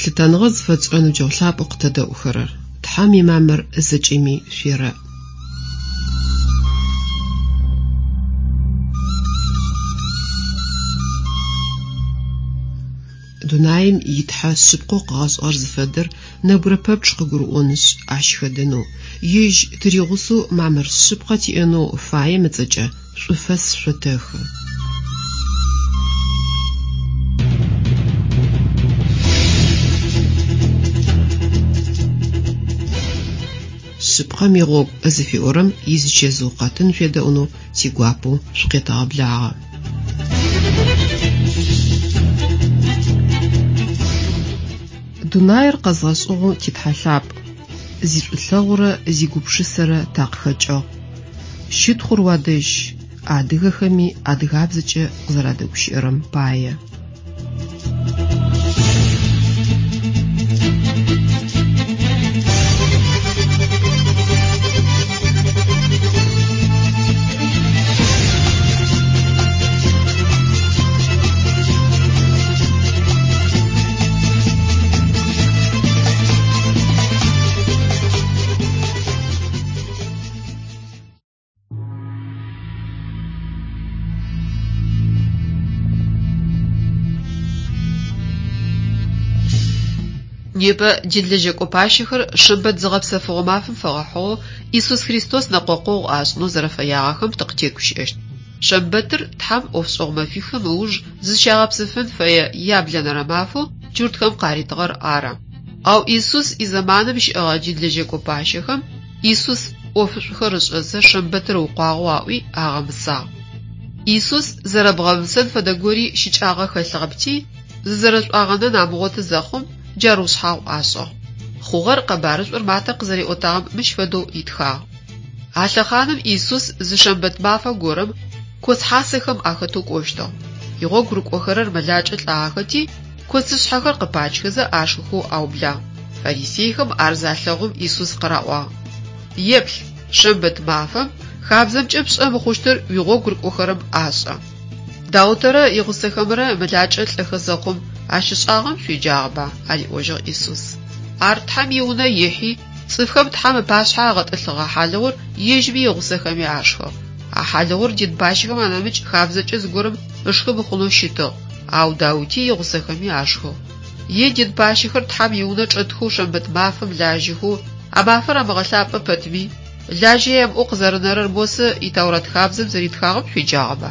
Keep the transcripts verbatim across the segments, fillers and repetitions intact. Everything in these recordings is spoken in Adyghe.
Лъытэныгъэ зыфэтшӏырэ ныбджэгъу лъапӏэу къытэдэӏухэрэр, Тхьэм имамыр зэкӏэми шъуерэӏ. Дунаим итхьэ шъыпкъэу къыгъэшӏыгъэр зыфэдэр нэбгырэ пэпчъ къыгурыӏонышъ, ащ хэдэнэу, ежь тыригъусэу мамыр шъыпкъэ тиӏэнэу фаем ыцӏэкӏэ шӏуфэс шъотэхы. Шъыпкъэм игъогу зыфиӏорэм изычэзыу къэтын шъуедэӏунэу тигуапэу шъукъетэгъэблагъэ. Дунаир къэзгъэшӏыгъэу титхьэ лъапӏ, зишӏулъэгъурэ зигупшысэрэ такъыхэкӏыгъ. Щытхъур уадэжь, адыгэхэми адыгабзэкӏэ къызэрадэгущыӏэрэм пае. Непэ динлэжьэкӏо пащэхэр шэмбэт зыгъэпсэфыгъо мафэм фэгъэхьыгъэу Иисус Христос нэкъокъогъу ашӏынэу зэрэфэягъэхэм тыкъытегущыӏэщт. Шэмбэтыр Тхьэм ӏофшӏэгъу мэфихым ыуж зызщагъэпсэфын фэе яблэнэрэ мафэу джуртхэм къаритыгъэр ары. Ау Иисус изэманым щыӏэгъэ динлэжьэкӏо пащэхэм Иисус ӏофышӏухэр ышӏэзэ шэмбэтыр ыукъуагъэу аӏуи агъэмысагъ. Иисус зэрэбгъэмысэн фэдэ гори щыкӏагъэ хэлъыгъэпти, зызэрэшӏуагъэнэн амыгъоты зэхъум джар ушъхьагъу ашӏыгъ. Хъугъэр къэбарышӏур Матэ къызэриӏотагъэм мыщ фэдэу итхагъ. А лъэхъаным Иисус зы шэмбэт мафэ горэм коц хьасэхэм ахэтэу кӏощтыгъ. Игъогу рыкӏохэрэр мэлакӏэ лӏагъэхэти, коцышъхьэхэр къыпачхэзэ ашхыхэу аублагъ. Фарисейхэм ар залъэгъум Иисус къыраӏуагъ: «Еплъ, шэмбэт мафэм хабзэмкӏэ пшӏэ мыхъущтыр уигъогу рыкӏохэрэм ашӏэ». Даутэрэ игъусэхэмрэ мэлакӏэ лӏэхэ зэхъум ащ ышӏагъэм шъуеджагъэба? Ариӏожьыгъ Иисус. Ар Тхьэм иунэ ихьи, цӏыфхэм Тхьэм ыпашъхьэ агъэтӏылъыгъэ хьалыгъур ежьми игъусэхэми ашхыгъ. А хьалыгъур дин пащэхэм анэмыкӏ хабзэкӏэ зыгорэм ышхы мыхъунэу щытыгъ, ау Даути игъусэхэми ашхыгъ. Е дин пащэхэр Тхьэм иунэ чӏэтхэу шэмбэт мафэм лажьэхэу, а мафэр амыгъэлъапӏэ пэтми, лажьэ ямыӏэу къызэрэнэрэр Мосэ и Тэурат хабзэм зэритхагъэм шъуеджагъэба?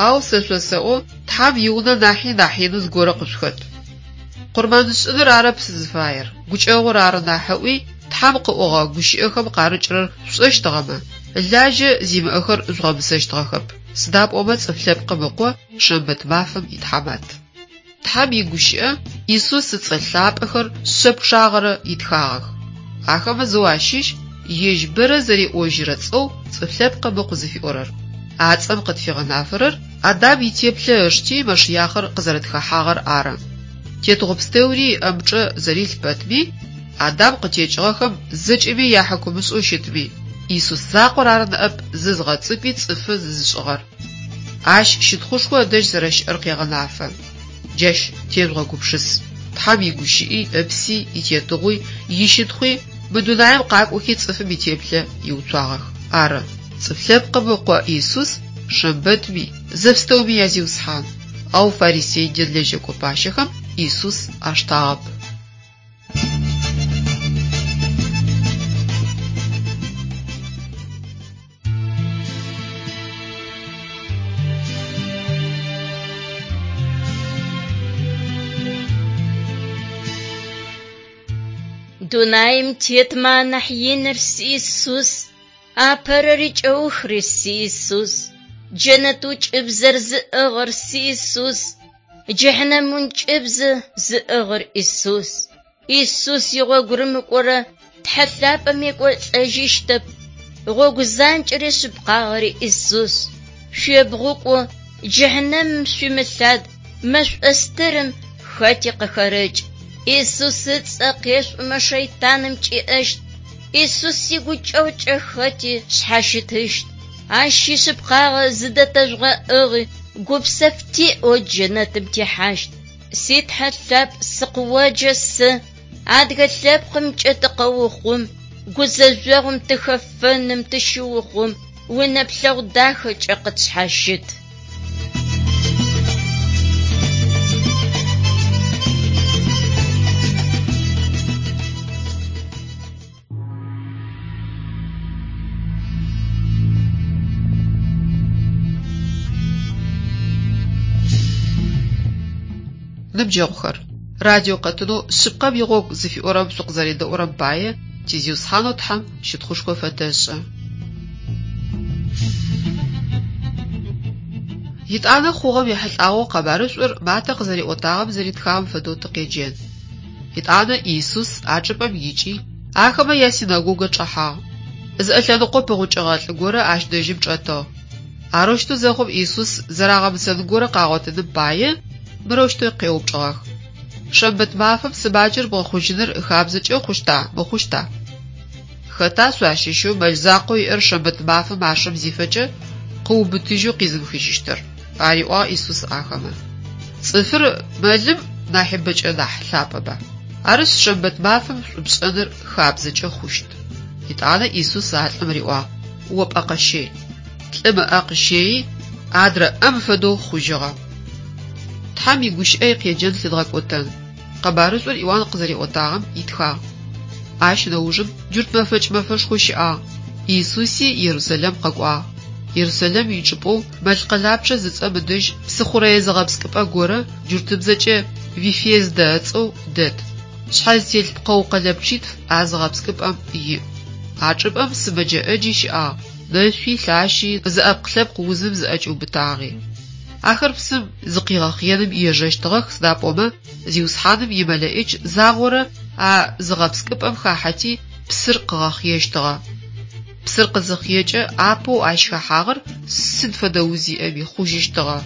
Ау сэ шъосэӏо, Тхьэм иунэ нахьи нахь инэу зыгорэ къышъухэт. Къурмэншӏыныр арэп сызыфаер, гукӏэгъур ары нахь ыӏуи, Тхьэм къыӏогъэ гущыӏэхэм къарыкӏырэр шъушӏэщтыгъэмэ, лажьэ зимыӏэхэр жъугъэмысэщтыгъэхэп. Сыда пӏомэ цӏыф лъэпкъым ыкъо шэмбэт мафэм итхьамат. Тхьэм игущыӏэ Иисус ыцӏэ лъапӏэхэр шъэ пчъагъэрэ итхагъэх. Ахэмэ зэу ащыщ ежь бэрэ зэриӏожьырэ цӏэу цӏыф лъэпкъым ыкъу зыфиӏорэр. А цӏэм къытфигъэнафэрэр Адам итеплъэ ышти Машиахыр къызэрэтхэхьагъэр ары. Тетыгъо пстэури ыӏэмычӏэ зэрилъ пэтми, Адам къытекӏыгъэхэм зэкӏэми яхьыкумышӏэу щытми, Иисус закъор ары ныӏэп зызгъэцӏыкӏуи цӏыфы зызышӏыгъэр. Ащ щытхъушхо ыдэжь зэрэщыӏэр къегъэнафэ. Джащ тежъугъэгупшыс. Тхьэм игущыӏи, ыпси, итетыгъуи, ищытхъуи мы дунаим къакӏохи цӏыфым итеплъэ иуцуагъэх. Ары, цӏыф лъэпкъым ыкъо Иисус шэмбэтми, зэпстэуми язиусхьан. Ау фарисей динлэжьэкӏо пащэхэм Иисус аштагъэп. Дунаим тетмэ анахь иныр си Иисус, апэрэри кӏэухри си Иисус, джэнэт ӏункӏыбзэр зыӏыгъыр си Иисус, джыхьнэм ӏункӏыбзэ зыӏыгъыр Иисус. Иисус игъогу рымыкӏорэ Тхьэ лъапӏэм екӏолӏэжьыщтэп. Гъогу занкӏэри шъыпкъагъэри Иисус. Шъуебгъукӏо, джыхьнэмым шъуимылъад, мэшӏо стырым хэти къыхэрэкӏ. Иисус ыцӏэ къешӏумэ шэйтаным кӏиӏэщт. Иисус игукӏэгъукӏэ хэти шъхьащытыщт. Ащ ишъыпкъагъэ зыдэтэжъугъэӏыгъи гупсэф тиӏэу джэнэтым техьащт. Си Тхьэ лъапӏ, сыкъыоджэ сэ, адыгэ лъэпкъымкӏэ тыкъэухъум, гузэжъогъум тыхэфэным тыщыухъум, уинэплъэгъу дахэкӏэ къытшъхьащыт. Ныбджэгъухэр, радио къэтынэу «Шъыпкъэм игъогу» зыфиӏорэм шъукъызэредэӏурэм пае ти Зиусхьанэу Тхьэм щытхъушхо фэтэшӏы. Етӏанэ хъугъэм ехьылӏагъэу къэбарышӏур Матэ къызэриӏотагъэм зэритхагъэм фэдэу тыкъеджэн. Етӏанэ Иисус а чӏыпӏэм икӏи, ахэмэ ясинэгогэ чӏэхьагъ. Зыӏэ лъэныкъо пыгъукӏыгъэ лӏы горэ ащ дэжьым чӏэтыгъ. Арэущтэу зэхъум Иисус зэрагъэмысэн горэ къагъотыным пае мырэущтэу къеупчӏыгъэх: «Шэмбэт мафэм сымаджэр бгъэхъужьыныр хабзэкӏэ хъущта, мыхъущта?» Хэта шъуащыщэу мэл закъоу иӏэр шэмбэт мафэм машэм зифэкӏэ, къыубытыжьэу къизымыхыжьыщтыр? Ариӏуагъ Иисус ахэмэ. Цӏыфыр мэлым нахьи бэкӏэ нахь лъапӏэба? Арышъ, шэмбэт мафэм шӏу пшӏэныр хабзэкӏэ хъущт. Етӏанэ Иисус а лӏым риӏуагъ: «О пӏэ къэщэй». Лӏым ыӏэ къыщэйи, адрэ ӏэм фэдэу хъужьыгъэ. Тхьэм игущыӏэ икъеджэн лъыдгъэкӏотэн. Къэбарышӏур Иуан къызэриӏотагъэм итхагъ. Ащ нэужым джурт мэфэкӏ мэфэшхо щыӏагъ. Иисуси Ерусалим къэкӏуагъ. Ерусалим ичӏыпӏэу Мэл къэлапчъэ зыцӏэм ыдэжь псыхъурэе зыгъэпскӏыпӏэ горэ джуртыбзэкӏэ Вифездэ ыцӏэу дэт. Шъхьэ зытелъ пкъэу къэлэпчъитф а зыгъэпскӏыпӏэм иӏ. А чӏыпӏэм сымэджэ ӏэджи щыӏагъ: нэшъуи, лъащи, зыӏэпкълъэпкъ узым зыӏэкӏиубытагъи. Ахэр псым зыкъигъэхъеным ежэщтыгъэх, сыда пӏомэ Зиусхьаным имэлэӏич загъорэ а зыгъэпскӏыпӏэм хахьэти псыр къыгъэхъещтыгъэ. Псыр къызыхъекӏэ апэу ащ хэхьагъэр сыд фэдэ уз иӏэми хъужьыщтыгъэ.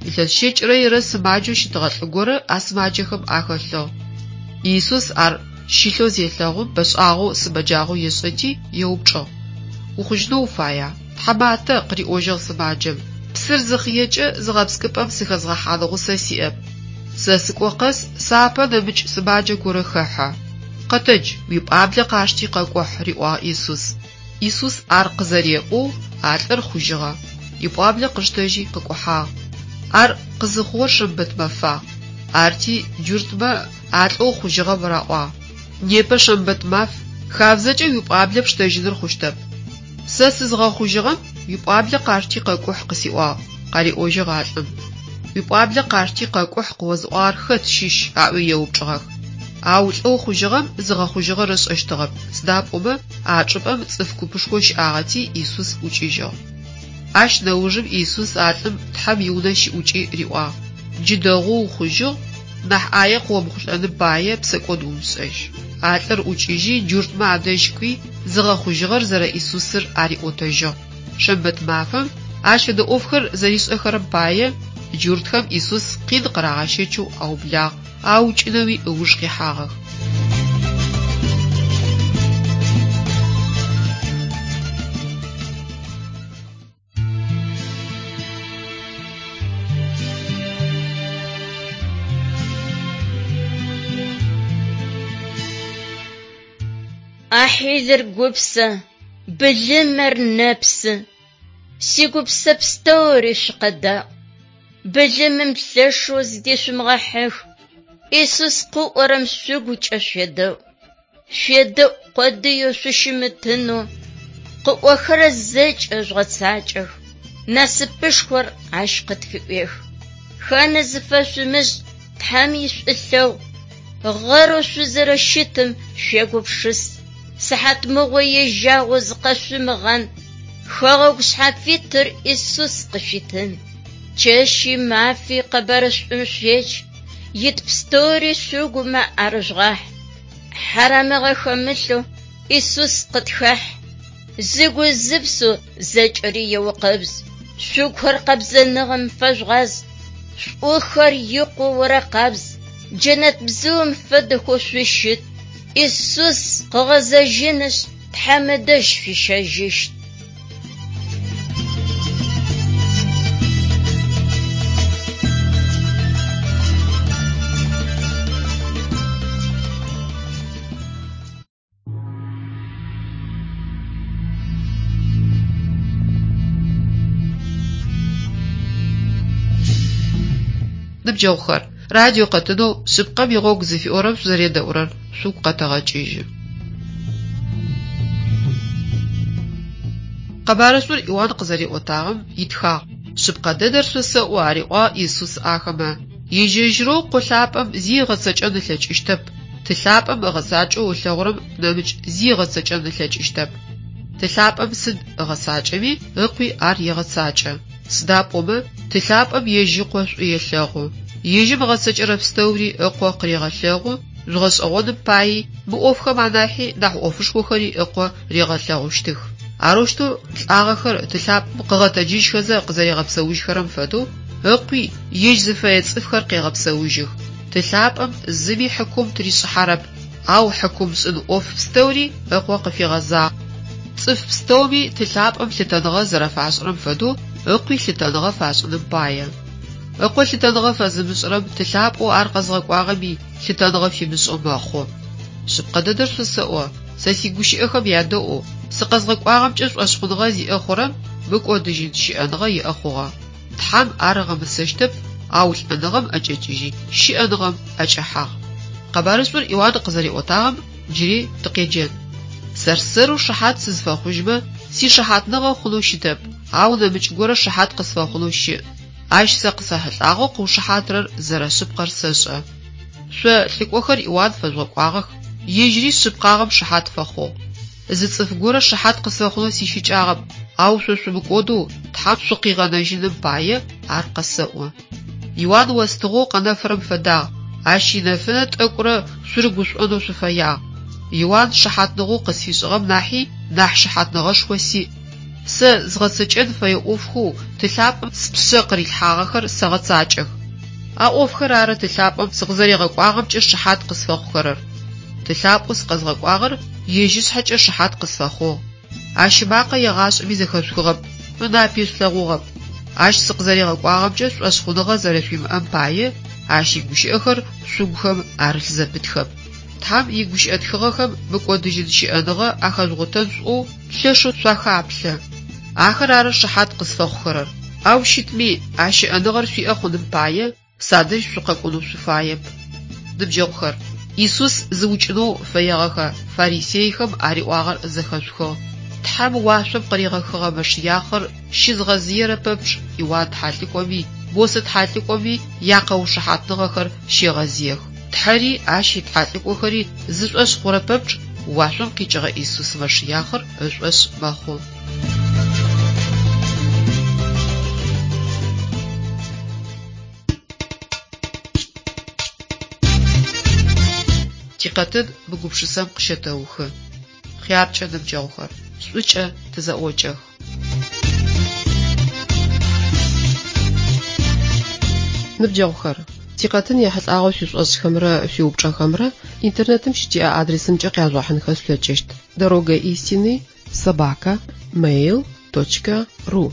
Илъэс щэкӏырэ ирэ сымаджэу щытыгъэ лӏы горэ а сымаджэхэм ахэлъыгъ. Иисус ар щылъэу зелъэгъум, бэшӏагъэу сымэджагъэу ешӏэти, еупчӏыгъ: «Ухъужьынэу уфая?» «Тхьаматэ», къыриӏожьыгъ сымаджэм, «псыр зыхъекӏэ зыгъэпскӏыпӏэм сыхэзгъэхьан гъусэ сиӏэп. Сэ сыкӏо къэс сапэ нэмыкӏ сымаджэ горэ хэхьэ. Къэтэдж, уипӏуаблэ къашти къэкӏухь», риӏуагъ Иисус. Иисус ар къызэреӏоу а лӏыр хъужьыгъэ. Ипӏуаблэ къыштэжьи къыкӏухьагъ. Ар къызыхъугъэр шэмбэт мэфагъ. Арти джуртмэ а лӏэу хъужьыгъэм раӏуагъ: «Непэ шэмбэт маф, хабзэкӏэ уипӏуаблэ пштэжьыныр хъущтэп». «Сэ сызгъэхъужьыгъэм уипӏуаблэ къашти къэкӏухь къысиӏуагъ», къариӏожьыгъ а лӏым. «Уипӏуаблэ къашти къэкӏухь къыозыӏуагъэр хэт щыщ?» аӏуи еупчӏыгъэх. Ау лӏэу хъужьыгъэм зыгъэхъужьыгъэр ышӏэщтыгъэп, сыда пӏомэ а чӏыпӏэм цӏыф купышхо щыӏагъэти Иисус ӏукӏыжьыгъ. Ащ нэужым Иисус а лӏым Тхьэм иунэ щыӏукӏи риӏуагъ: «Джы дэгъоу ухъужьыгъ, нахь ӏае къыомыхъулӏэным пае псэкӏод умышӏэжь». А лӏыр ӏукӏыжьи джуртмэ адэжь кӏуи, зыгъэхъужьыгъэр зэрэ Иисусыр ариӏотэжьыгъ. Шэмбэт мафэм ащ фэдэ ӏофхэр зэришӏэхэрэм пае джуртхэм Иисус къин къырагъэщэчэу аублагъ, аукӏынэуи ыуж къихьагъэх. Ахьилыр гупсэ, былымэр нэпсы. Сигупсэ пстэури шъукъэдаӏу. Былымым лъэшэу зыдешъумыгъэхьых. Иисус къыӏорэм шъугукӏэ шъуедэӏу. Шъуедэӏу къодыеу шъущымытынэу, къыӏохэрэр зэкӏэ жъугъэцакӏэх. Насыпышхор ащ къытфыӏуех. Ханэ зыфэшъумышӏ Тхьэм ишӏулъэгъу. Гъэрэу шъузэрэщытым шъуегупшыс. Сыхьатмыгъо ежьагъэу зыкъэшъумыгъан. Хэгъэгу шъхьафитыр Иисус къышъуитын. Чэщи мафи къэбарышӏум шъуедж. Ит пстэури шъугумэ арыжъугъахь. Хьарамыгъэ хэмылъэу Иисус къытхахь. Зыгу зыпсэу зэкӏэри еукъэбз. Шъугухэр къэбзэныгъэм фэжъугъаз. Шӏухэр икъоу орэкъабз. Джэнэт бзыум фэдэхэу шъущыт. Иисус къыгъэзэжьынышъ, Тхьэм ыдэжь шъуищэжьыщт. Ныбджэгъухэр, радио къэтынэу «Шъыпкъэм игъогу» зыфиӏорэм шъузэредэӏурэр шъугу къэтэгъэкӏыжьы. Къэбарышӏур Иуан къызэриӏотагъэм итхагъ: «Шъыпкъэ дэдэр шъосэӏо, – ариӏуагъ Исус ахэмэ, – ежь-ежьырэу Къо лъапӏэм зи ыгъэцэкӏэн ылъэкӏыщтэп. Ты лъапӏэм ыгъэцакӏэу ылъэгъурэм нэмыкӏ зи ыгъэцэкӏэн ылъэкӏыщтэп. Ты лъапӏэм сыд ыгъэцакӏэми, Ыкъуи ар егъэцакӏэ. Сыда пӏомэ, Ты лъапӏэм ежь Ыкъо шӏу елъэгъу. Ежьым ыгъэцэкӏэрэ пстэури Ыкъо къырегъэлъэгъу, жъугъэшӏэгъоным паий мы ӏофхэм анахьи нахь ӏофышхохэри Ыкъо ригъэлъэгъущтых. Арэущтэу лӏагъэхэр Ты лъапӏэм къыгъэтэджыжьхэзэ къызэригъэпсэужьхэрэм фэдэу, Ыкъуи ежь зыфэе цӏыфхэр къегъэпсэужьых. Ты лъапӏэм зыми хьыкум тыришӏыхьэрэп, ау хьыкум шӏын ӏоф пстэури Ыкъо къыфигъэзагъ. Цӏыф пстэуми Ты лъапӏэм лъытэныгъэ зэрэфашӏырэм фэдэу Ыкъуи лъытэныгъэ фашӏыным пае. Ыкъо лъытэныгъэ фэзымышӏырэм Ты лъапӏэу ар къэзгъэкӏуагъэми лъытэныгъэ фимышӏэу мэхъу. Шъыпкъэ дэдэр шъосэӏо, сэ сигущыӏэхэм ядэӏоу, сыкъэзгъэкӏуагъэмкӏэ шӏошъхъуныгъэ зиӏэ хъурэм мыкӏодыжьын щыӏэныгъэ иӏэ хъугъэ. Тхьэм ар ыгъэмысэщтэп, ау лӏэныгъэм ӏэкӏэкӏыжьи, щыӏэныгъэм ӏэкӏэхьагъ. Къэбарышӏур Иуан къызэриӏотагъэм джыри тыкъеджэн. Сэр-сэрэу шыхьат сызфэхъужьмэ, сишыхьатныгъэ хъунэу щытэп, ау нэмыкӏ горэ шыхьат къысфэхъунэу щыӏ. Ащ сэ къысэхьылӏагъэу къыушыхьатырэр зэрэшъыпкъэр сэшӏэ. Шъо лӏыкӏохэр Иуан фэжъугъэкӏуагъэх, ежьыри шъыпкъагъэм шыхьат фэхъугъ. Зы цӏыф горэ шыхьат къысфэхъунэу сищыкӏагъэп, ау шъо шъумыкӏодэу Тхьэм шъукъигъэнэжьыным пае ар къэсэӏо. Иуан остыгъэу къэнэфырэм фэдагъ, ащ инэфынэ тӏэкӏурэ шъурыгушӏонэу шъуфэягъ. Иуан шыхьатныгъэу къысфишӏыгъэм нахьи нахь шыхьатныгъэшхо сиӏ. Сэ згъэцэкӏэн фэе ӏофхэу Ты лъапӏэм спшъэ къырилъхьагъэхэр сэгъэцакӏэх. А ӏофхэр ары Ты лъапӏэм сыкъызэригъэкӏуагъэмкӏэ шыхьат къысфэхъухэрэр. Ты лъапӏэу сыкъэзгъэкӏуагъэр ежь ышъхьэкӏэ шыхьат къысфэхъугъ. Ащ ымакъэ егъашӏэми зэхэшъухыгъэп, ынапи шъулъэгъугъэп. Ащ сыкъызэригъэкӏуагъэмкӏэ шӏошъхъуныгъэ зэрэшъуимыӏэм пае ащ игущыӏэхэр шъугухэм арылъ зэпытхэп. Тхьэм игущыӏэ тхыгъэхэм мыкӏодыжьын щыӏэныгъэ ахэжъугъотэн шъуӏоу лъэшэу шъуахаплъэ. Ахэр ары шыхьат къысфэхъухэрэр. Ау щытми, а щыӏэныгъэр шъуиӏэ хъуным пае садэжь шъукъэкӏонэу шъуфаеп. Ныбджэгъухэр, Исус зыукӏынэу фэегъэхэ фарисейхэм ариӏуагъэр зэхэшъухыгъ. Тхьэм уашъом къыригъэхыгъэ Мэшыяхъыр щызгъэзыерэ пэпчъ Иуан тхьалӏыкӏоми, Мосэ тхьалӏыкӏоми якъэушыхьатныгъэхэр щегъэзыех. Тхьэри ащ итхьалӏыкӏохэри зышӏошъ хъурэ пэпчъ уашъом къикӏыгъэ Исус Мэшыяхъыр ышӏошъ мэхъу. Тикъэтын мы гупшысэм къыщэтэухы. Хъяркӏэ ныбджэгъухэр, шӏукӏэ тызэӏокӏэх. Ныбджэгъухэр, тикъэтын ехьылӏагъэу шъуишӏошӏхэмрэ шъуиупчӏэхэмрэ интернетым щытиӏэ адресымкӏэ къяжъугъэхьынхэ шъулъэкӏыщт: дорога истины собака mail точка ру.